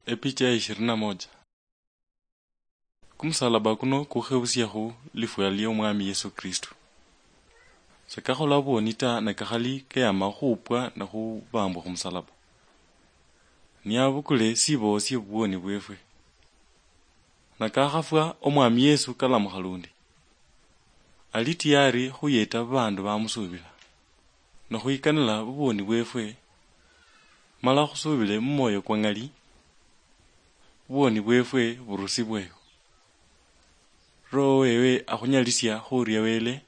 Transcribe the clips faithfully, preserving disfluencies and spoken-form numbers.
Epicha ya ishirini na moja. Kumusalaba kuno kukhebusiakhu lifwa lia Omwami Yesu Kristu. Sakakhola bwoni ta, ne kakhali keyama khupwa ne khubambwa khumusalaba. Niabukule sibo sie bubwoni bwefwe. Nakakhafwa, Omwami Yesu kalamukha lundi. Ali tiyari khuyeta babandu bamusuubila, nokhwikanila bubwoni bwefwe, mala khusuubile mumwoyo kwa ng'ali, bubwoni bwefwe burusibweyo. Roho wewe akhunyalisia khuria Wele,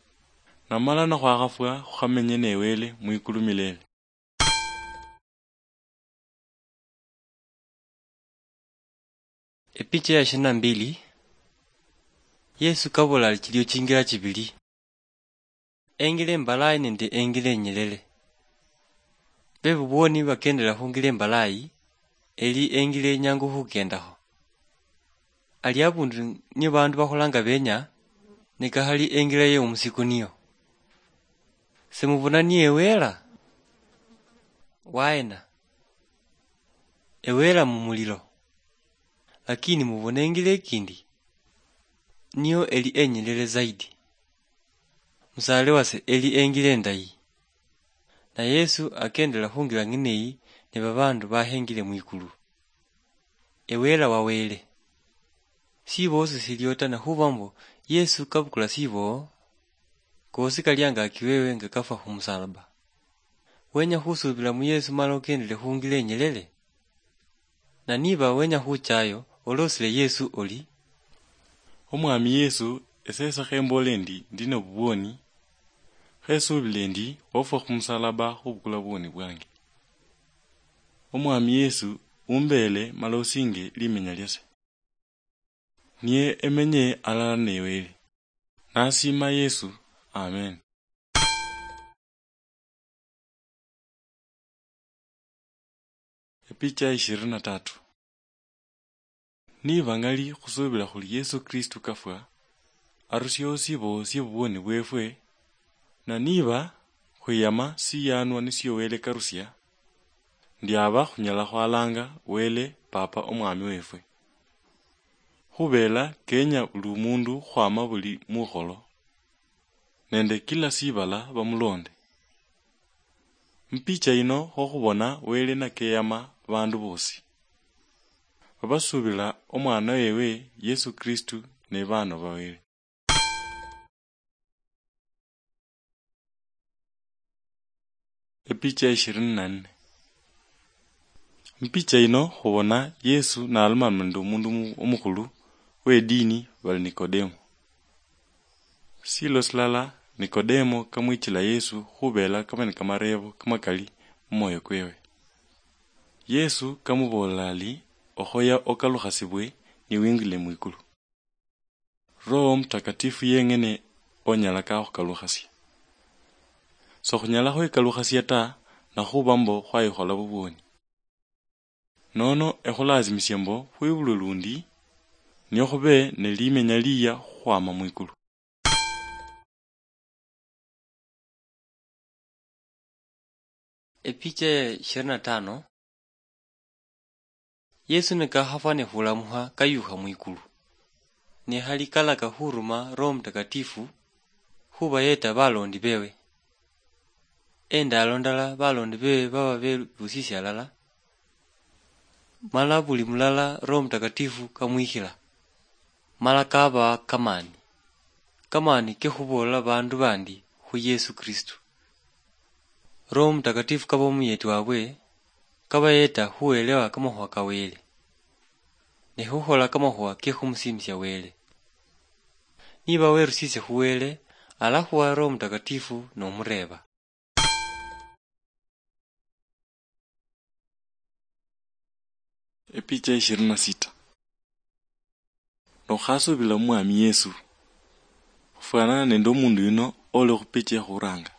namala nakhwakhafwa khukhamenye ne Wele mwikulu milele. Epicha ya ishirini na mbili. Yesu kabola ali chilio chingira chibili, engila embalayi nende engila enyelele. Bebubwoni bakendela khungila embalayi, eli engila enyangu khukendakho. Ali abundu niyo bandu bakholanga benya, ne kakhali engila ye omusiku niyo. Semubona niye Ewela? Waena? Ewela mumulilo. Lakini mubona engila ekindi, niyo eli enyelele zaidi. Musaale wase eli engila endayi. Na Yesu akendela khungila ng'eneyi ne babandu bahengile mwikulu. Ewela wa Wele. Siboo sisiliyo ta, nakhuba mbo Yesu kabukula siboo, kosi kali angaki wewe nga kafwa khumusalaba. Wenya khusubila mu Yesu mala okendele khungila enyelele? Na niba wenya khuchayo, olosile Yesu oli, "Omwami Yesu, esese khembole endi, ndi nobubwoni, khesubile endi wafwa khumusalaba khubukula bubwoni bwange. Omwami Yesu, umbele mala osinge limenya liase." Niye emenye alala ne Wele. Nasiima Yesu. Amen. Epicha ishirini na tatu. Niba ngali khusubila khuli Yesu Kristu kafwa, arusieo sibo sie bubwoni bwefwe, na niba khwiyama siyanwa nisio Wele karusia, ndiaba khunyala khwalanga Wele Papa Omwami wefwe. Khubela kenya buli omundu khwama buli mukholo nende kila sibala bamulonde. Mupicha yino kho khubona Wele nakeyama bandu bosi babasubila omwana wewe Yesu Kristu ne bano ba Wele. Epicha ishirini na nne. Mupicha yino khubona Yesu nalomana nende omundu omu-, omukhulu wedini bali Nikodemo. Silo silala Nikodemo kamwichila Yesu khubela kaba nikamarebo kamakali mumwoyo kwewe. Yesu kamubool'la ali, "Okhoya okalukhasibwe niwingile mwikulu. Roho Mutakatifu yeng'ene onyala kakhukalukhasia. Sokhunyala khwekalukhasia ta, nakhuba mbo khwayikhola bubwoni. Nono ekhulazimisie mbo khwibulwe lundi, nio khube ne limenya liya khukhwama mwikulu." Epicha ya ishirini na tano. Yesu nikakhafwa ne khulamukha kayukha mwikulu, ne khali kalaka khuruma Roho Mutakatifu khubayeta balondi bewe. Endalo ndala balondi bewe baba bebusisie alala, mala buli mulala Roho Mutakatifu kamwikhila, mala kabawa kamani, kamani kekhuboolela bandu bandi khu Yesu Kristu. Roho Mutakatifu kaba omuyeti wabwe, kabayeta khuelewa kamakhuwa ka Wele, ne khukhola kamakhuwa kekhumusimisia Wele. Niba werusisye khu Wele, alakhuwa Roho Mutakatifu nomureeba. Epicha ishirini na sita. Nokhasubila mu Mwami Yesu, ofwanana nende omundu yuno oli khupicha ekhuranga,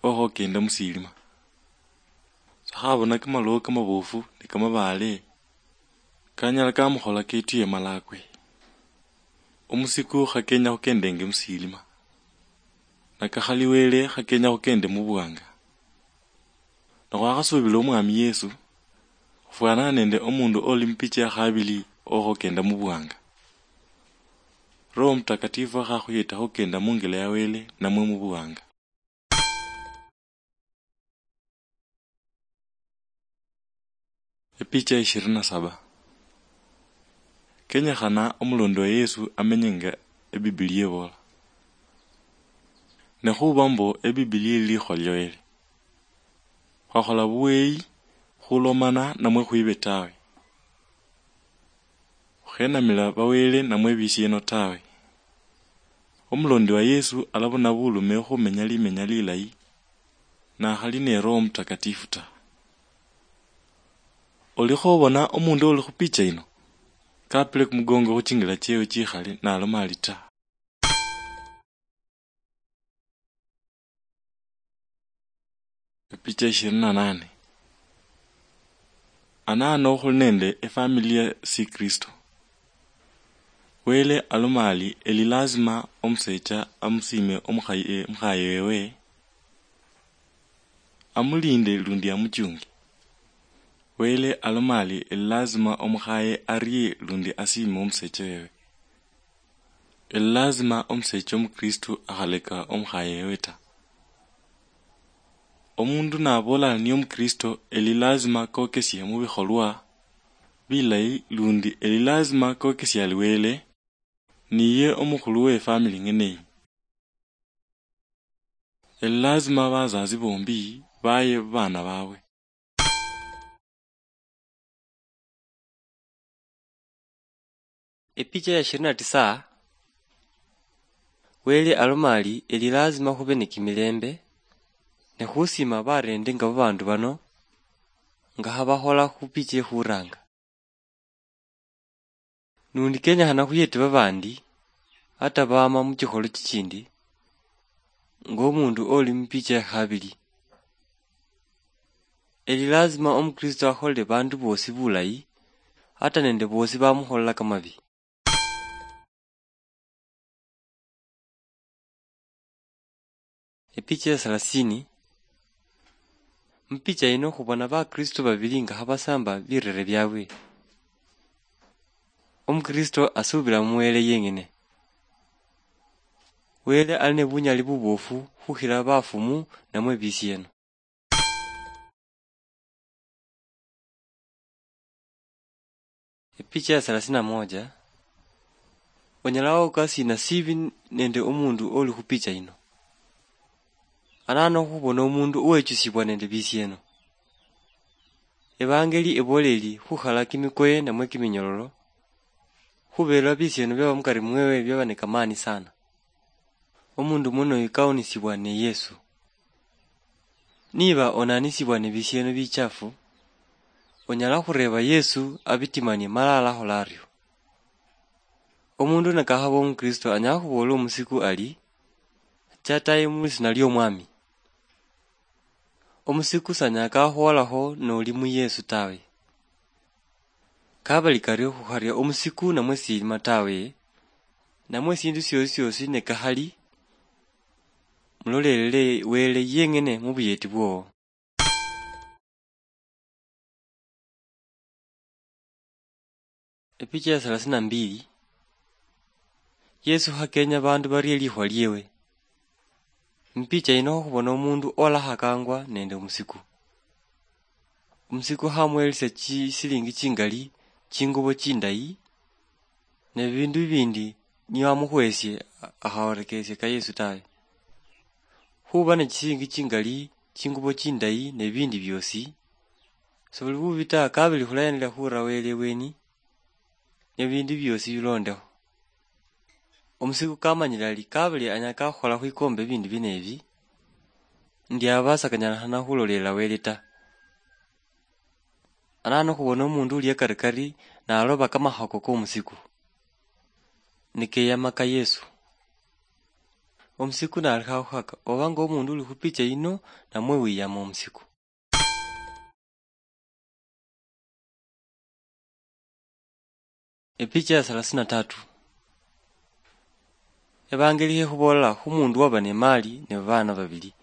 okhokenda musilima. Sakhabona kamalowo kamabofu ne kamabaale, kanyala kamukhola ketuye malakwe. Omusiku khakenya khukendenge musilima, nakakhali Wele khakenya khukende mubuwanga. Nakhwakhasubila Omwami Yesu, khufwanana nende omundu oli mupicha yakhabili okhokenda mubuwanga. Roho Mutakatifu akhakhuyeta khukenda mungela ya Wele namwe mubuwanga. Epicha ishirini na saba. Kenyekhana omulondi wa Yesu amenye nga Ebibilia ebola. Ne khuba mbo Ebibilia eli likhuwa lia Wele, khwakhola buweyi khulomana namwe khwibe tawe. Khukhenamila bawele namwe bisieno tawe. Omulondi wa Yesu alabona bulume khumenya limenya lilayi, nakhali ne Roho Mutakatifu ta. Olikho obona omundu oli khupicha ino, kapile kumugongo khuchingila chewe chikhale, naloma ali ta. Epicha ishirini na nane. Anano khuli nende efamily ya Sikristo. Wele aloma ali eli lazima omusecha amusiime omukhaye, omukhaye wewe, amulinde lundi amuchunge. Wele aloma ali eli lazima omukhaye arie lundi asiime omusecha wewe. Eli lazima omusecha omukristo akhaleka omukhaye wewe ta. Omundu naboola ali niye omukristo, eli lazima kokesie mubikholwa bilayi, lundi eli lazima kokesie ali Wele, niye omukhulu we family ng'ene eyi. Eli lazima bazazi bombi baye babaana babwe. Epicha ya ishirini na tisa. Wele aloma ali eli lazima khube ni kimilembe, ne khusiima bareende nga babaandu bano, nga habakhola khu picha ekhuraanga. Nundi kenyekhana khuyete babaandi, ata baama mu chikholo chichindi, nga omundu oli mu picha ya khabili. Eli lazima omukristo akholele baandu boosi bulayi, ata nende boosi bamukholelaka mabi. Epicha ya thelathini. Mupicha yino khubona bakristo babili nga khabasamba birere biabwe. Omukristo asubila mu Wele yeng'ene. Wele ali ne bunyali bubofu khukhila bafumu namwe bisieno. Epicha ya thelathini na moja. Onyala wawoka sina sibi nende omundu oli khupicha yino? Anano khubona omundu owechusibwa nende bisieno. Evangeli ebola eli khukhala kimikoye namwe kiminyololo, khubela bisieno biaba mukari mwewe biaba ne kamani sana. Omundu mwenoyu kaunisibwa ne Yesu. Niba onanisibwa ni bisieno bichafu, onyala khureba Yesu abitimanie mala alakhola ario. Omundu nakakhaba omukristo anyala khubola omusiku ali, "Cha tayi mu lisiina liomwami." Omusiku sanyala kakhuholakho noli mu Yesu tawe. Kabali kario khukharia omusiku namwe silima tawe, namwe esindu siosi siosi ne kakhali, mulolelele Wele yeng'ene mu buyeti bwowo. Epicha ya thelathini na mbili. Yesu khakenya bandu barie likhuwa liewe. Mupicha yino khubona omundu olakhakangwa nende omusiku. Omusiku khamuhelisia chisilingi chingali, chingubo chindayi, ne bibindu bibindi niye wamukhwesie, akhaorekesia ka Yesu tawe. Khuba ne chisilingi chingali, chingubo chindayi, ne bibindi biosi, sobuli bubi ta, kabili khulayendelea khura Wele ebweni, ne bibindu biosi bilondekho. Omusiku kamanyile ali kabili anyala kakhukhola khwikomba ebindu bino ebi, ndi aba sakanyalikhana khulolelela Wele ta. Anano khubona omundu uli akarikari naloba kamakhako komusiku, nikeyama ka Yesu. Omusiku nalekha khukhaka oba nga omundu uli khupicha yino namwe wiyama omusiku. Epicha ya thelathini na tatu. Evangelikhe khuboola khu mundu waba ne mali ne babaana babili.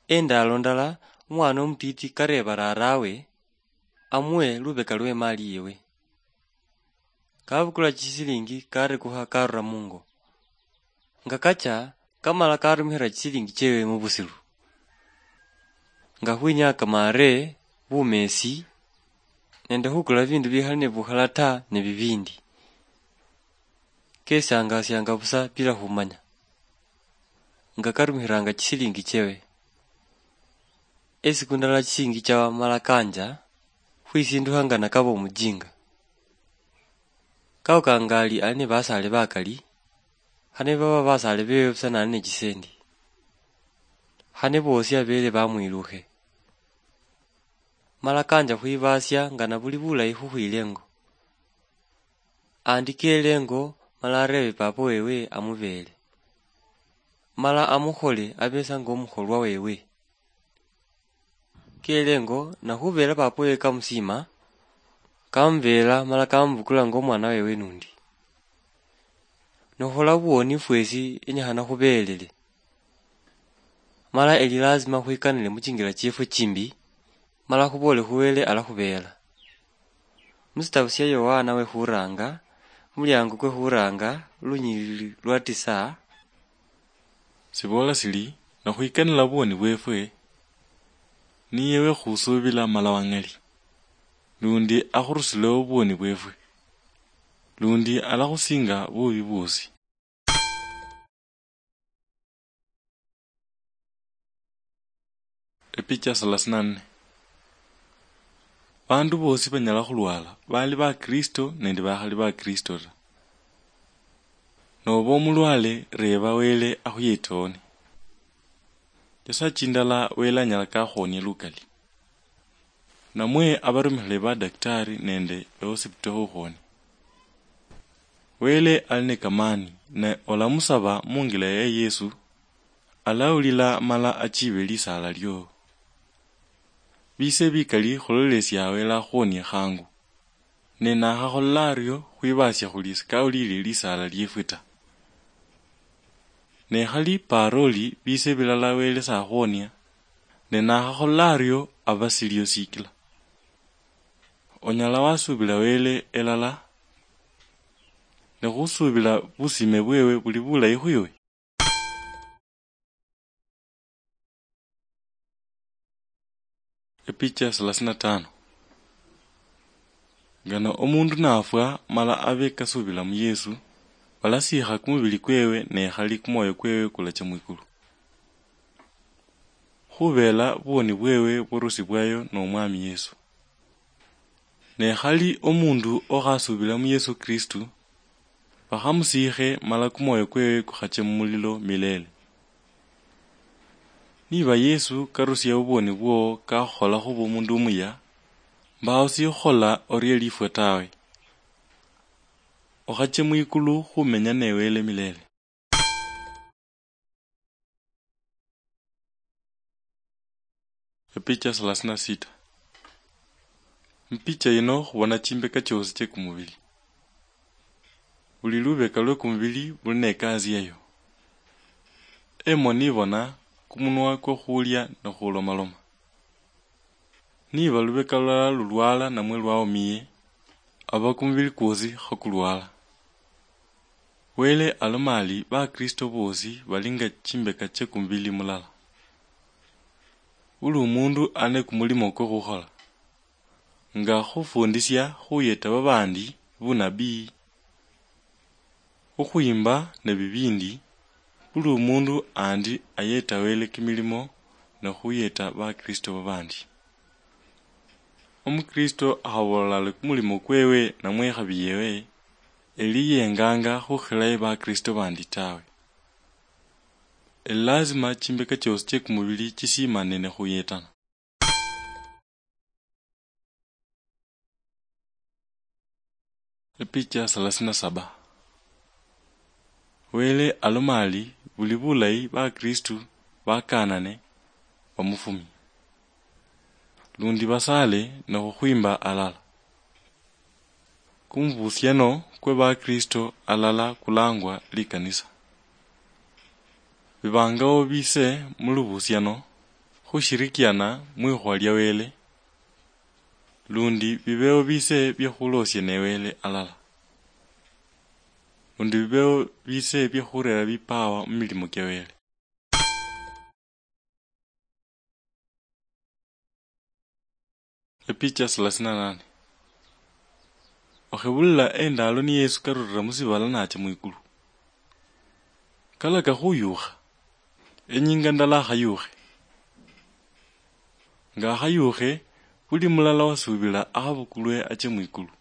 Endaalo ndala, umwana omutiti kareeba raarawe amuhe lubeka lwe mali yewe. Kabukula chisilingi, karekukha, karura mungo. Nga kacha, kamala karumikhira chisilingi chewe mubusilu, nga khwinyaya kamare, bumesi, nende khukula bibindu bikhali ne bukhala ta, ne bibindi. Kesiangasianga busa bila khumanya, nga karumikhiranga chisilingi chewe. Esiku ndala chisilingi chawa mala kanja, khwisindukha nga nakaba omujinga. Kaukanga ali, ali ne basaale bakali, khane baba basaale bewe busa nali ne chisendi, khane boosi abele bamwilukhe. Mala kanja khwibasia nga nabuli bulayi khukhwila engo. Andikele engo, mala arebe papa wewe amubeele, mala amukhole abesa nga omukholwa wewe. Kele engo, nakhubela papa wewe kamusima, kamubeela mala kamubukula nga omwana wewe nundi. Nokhola buwoni fwesi enyekhana khubeelele. Mala eli lazima khwikanile muchingila chiefwe chimbi, mala khuboole khu Wele alakhubeela. Musitabu sia Yohana we khuranga, muliango kwe khuranga, lunyilili lwa tisa, siboola sili, nakhwikanila buwoni bwefwe, niye we khusuubila mala wang'ali, lundi akhurusilewo buwoni bwefwe, lundi alakhusinga bubi bwosi. Epicha thelathini na nne. Bandu bosi banyala khulwala, bali ba Kristo nende bakhali ba Kristo ta. Noba omulwale, reba Wele akhuyete one. Nyasaye chindala Wele anyala kakhuhonia lukali. Namwe abarumikhile badaktari nende ehosipito khukhuhonia. Wele ali ne kamani, ne olamusaba mungila ya Yesu, alawulila mala achibe lisaala lio. Bise bikali khulolesia Wele akhuhonie khangu. Ne nakhakhola ario, khwibasia khuli sikawulile lisaala liefwe ta. Ne khali paroli bise bilala Wele sakhuhonia, ne nakhakhola ario aba silio sikila. Onyala wasuubila Wele elala, ne khusuubila busime bwewe buli bulayi khwiwe? Epicha thelathini na tano. Ngano omundu nafwa mala abe kasuubila mu Yesu, balasiikha kumubili kwewe, ne khali kumwoyo kwewe kulacha mwikulu. Khubeela buwoni bwewe burusibwayo n'Omwami Yesu. Ne khali omundu okhasuubila mu Yesu Kristu, bakhamusiikhe mala kumwoyo kwewe kukhache mumulilo milele. Niba Yesu karusia obuwoni bwowo kakhukhola khuba omundu omuya, mbawo sikhukhola orie lifwe tawe. Okhache mwikulu khumenya ne Wele milele. Epicha thelathini na sita. Mupicha yino khubona chimbeka chiosi chie kumubili. Buli lubeka lwe kumubili buli ne kazi yayo. Emoni ibona, kumunwa kwo khulia ne khulomaloma. Niba lubeka lulala lulwala namwe lwaumiye, aba kumubili kwosi khakulwala. Wele aloma ali, Bakristo bosi bali nga chimbeka chie kumubili mulala. Buli omundu ali ne kumulimo kwo khukhola, nga khufundisia, khuyeta babandi, bunabii, khukhwimba ne bibindi. Buli omundu andi ayeta Wele kimilimo ne khuyeta Bakristo babandi. Omukristo akhabola ali kumulimo kwewe namwe ikhabi yewe, eli yenganga khukhilayo Bakristo bandi tawe. Eli lazima chimbeka chiosi chie kumubili chisimane ne khuyetana. Epicha thelathini na saba. Wele aloma ali, buli bulayi Bakristu bakanane, bamufumie. Lundi basale ne khukhwimba alala. Kumubusiano kwe Bakristo alala kulangwa likanisa. Bibangawo bise mulubusiano khushirikiana mwikhuwa lia Wele, lundi bibewo bise bia khulosia ne Wele alala, lundi bibewo bise bia khurera bipawa mumilimo kia Wele. Epicha thelathini na nane. Okhebulila endalo ni Yesu karulila musibala nacha mwikulu. Kalaka khuyukha. Enyinga ndala akhayukhe. Nga akhayukhe, buli mulala wasubila akhabukulwe ache mwikulu.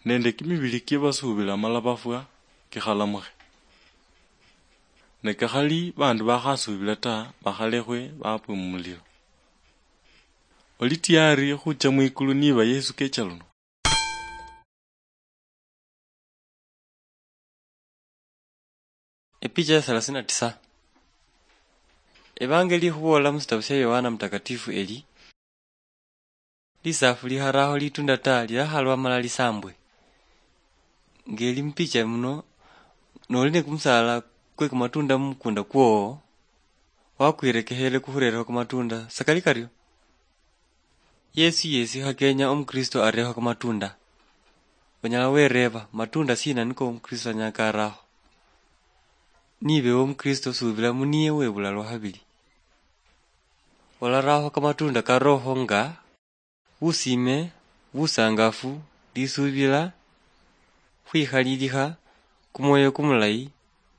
Nende kimibili kia basubila mala bafwa kikhalamukhe. Ne kakhali bandu bakhasubila ta, bakhalekhwe bapwe mumulilo. Oli tiyari khucha mwikulu niba Yesu kecha luno? Epicha ya thelathini na tisa. Evangeli ikhuboola musitabu sia Yohana Mutakatifu eli, "Lisafu likharaho litunda ta, lilakhalwa mala lisambwe." Ngeli mupicha muno, noli ne kumusaala kwe kamatunda mumukunda kwowo, wakwirekekhele kukhurerekho kamatunda sakali kario. Yesu yesi khakenya Omukristo areho kamatunda. Onyala wereeba, matunda sina niko Omukristo anyala karaho? Nibe Omukristo, subila muniye webula lwa khabili. Olaraho kamatunda ka Roho nga: busime, busangafu, lisubila, khwikhalilikha, kumwoyo kumulayi,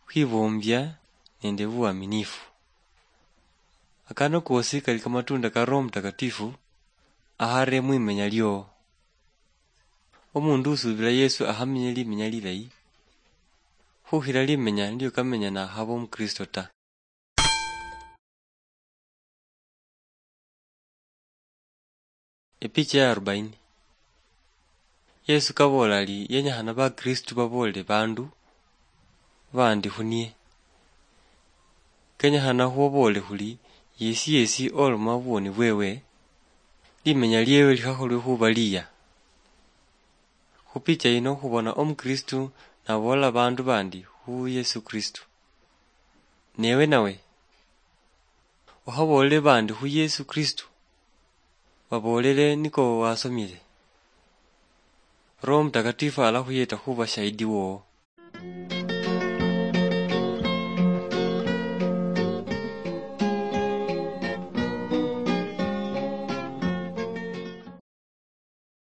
khwiboombia, nende buaminifu. Akano kosi kali kamatunda ka Roho Mutakatifu, ahare mwimenya liowo. Omundu usubila Yesu akhamenye limenya lilayi, khukhila limenya nilio kamenya nakhaba Omukristo ta. Epicha ya arobaini. Yesu kaboola ali yenyekhana Bakristu baboolele bandu bandi khuniye. Kenyekhana khubaboolele khuli, yesi yesi oloma buboni bwewe, limenya liewe likhakholwe khuba liya. Khupicha yino khubona Omukristu naboolela bandu bandi khu Yesu Kristu. Newe nawe, okhaboolele bandi khu Yesu Kristu? Baboolele niko wasomile. Roho Mutakatifu alakhuyeta khuba shahidi wowo.